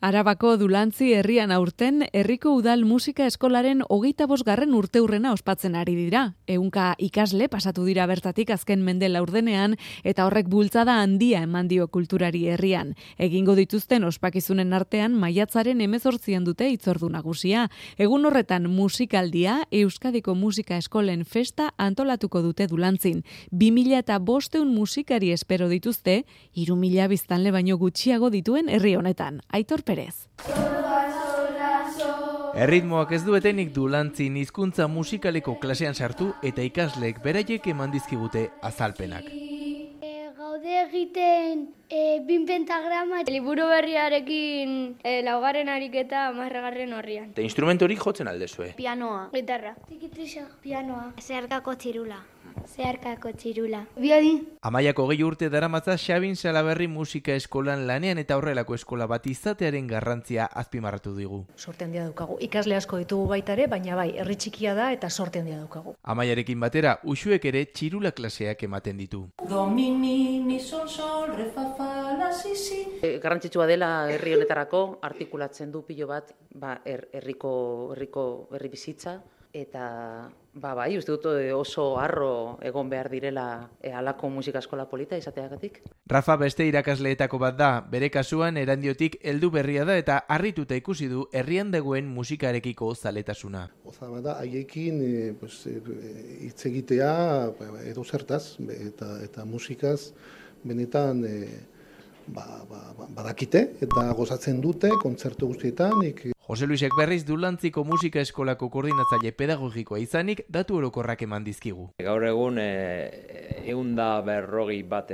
Arabako Dulantzi herrian aurten, herriko udal musika eskolaren 25. urteurrena ospatzen ari dira. 100 ikasle pasatu dira bertatik azken mende laurdenean, eta horrek bultzada handia eman dio kulturari herrian. Egingo dituzten ospakizunen artean, maiatzaren 18an dute hitzordu nagusia. Egun horretan musikaldia, Euskadiko Musika Eskolen festa antolatuko dute Dulantzin. 2500 musikari espero dituzte, 3000 biztanle baino gutxiago dituen herri honetan. Aitor Perez. Erritmoak ez duetenik Dulantzin hizkuntza musikaleko klasean sartu eta ikasleek beraiek eman dizkigute azalpenak. Gaude egiten 20 pentagrama, liburu berriarekin 4. ariketa 10. horrian. Eta instrumentorik jotzen aldezue? Pianoa. Gitarra. Tikitrisa. Pianoa. Zeharkako txirula. Biadi. Amaiako 20 urte daramatza Xabin Salaberri musika eskolan lanean eta horrelako eskola bat izatearen garrantzia azpimarratu digu. Sorte handia daukagu. Ikasle asko ditugu baita ere, baina bai, herri txikia da eta sorte handia daukagu. Amaiarekin batera, Uxuek ere txirula klaseak ematen ditu. Do, mi, mi, sol, sol, re, fa, fa, la, si, si. Garrantzitsua dela herri honetarako artikulatzen du pilo bat herri bizitza eta bai, uste dut oso harro egon behar direla halako musika eskola polita izateagatik. Rafa beste irakasleetako bat da, bere kasuan Erandiotik heldu berria da eta harrituta ikusi du herrian dagoen musikarekiko zaletasuna. Goza bada haiekin hitz egitea edo zertaz eta musikaz benetan badakite eta gozatzen dute kontzertu guztietan. Jose Luisek berriz Dulantziko musika eskolako koordinatzaile pedagogikoa izanik datu orokorrak eman dizkigu. Gaur egun 150 bat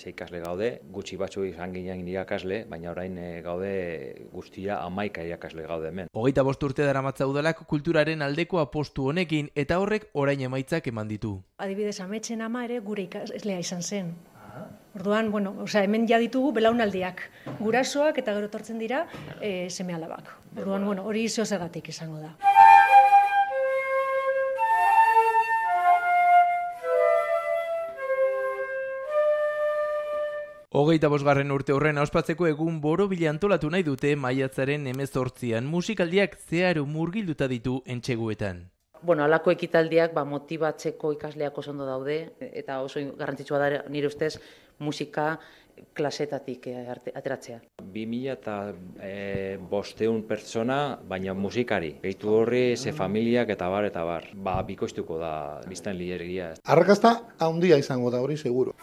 ikasle gaude, gutxi batzu izan ginen irakasle, baina orain gaude guztia 11 irakasle gaude hemen. 25 urte daramatza udalak kulturaren aldeko apostu honekin eta horrek orain emaitzak eman ditu. Adibidez, Ametsen ama ere gure ikaslea izan zen. Orduan, hemen ja ditugu belaunaldiak, gurasoak eta gero etortzen dira seme-alabak. Orduan, hori zergatik izango da. Hogeita 5. urte horren ospatzeko egun borobila antolatu nahi dute maiatzaren 18an musikaldiak zeharo murgilduta ditu entseguetan. Halako ekitaldiak motibatzeko ikasleak oso ondo daude eta oso garrantzitsua da nire ustez musika klasetatik ateratzea. 2500 pertsona, baina musikari. Gehitu horri, familiak eta bar. Bikoiztuko da biztanleria. Arrakasta handia izango da hori seguro.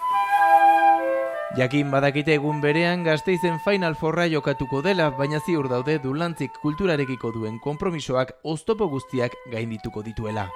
Jakin badakite egun berean Gasteizen Final Fourra jokatuko dela, baina ziur daude Dulantzik kulturarekiko duen konpromisoak oztopo guztiak gaindituko dituela.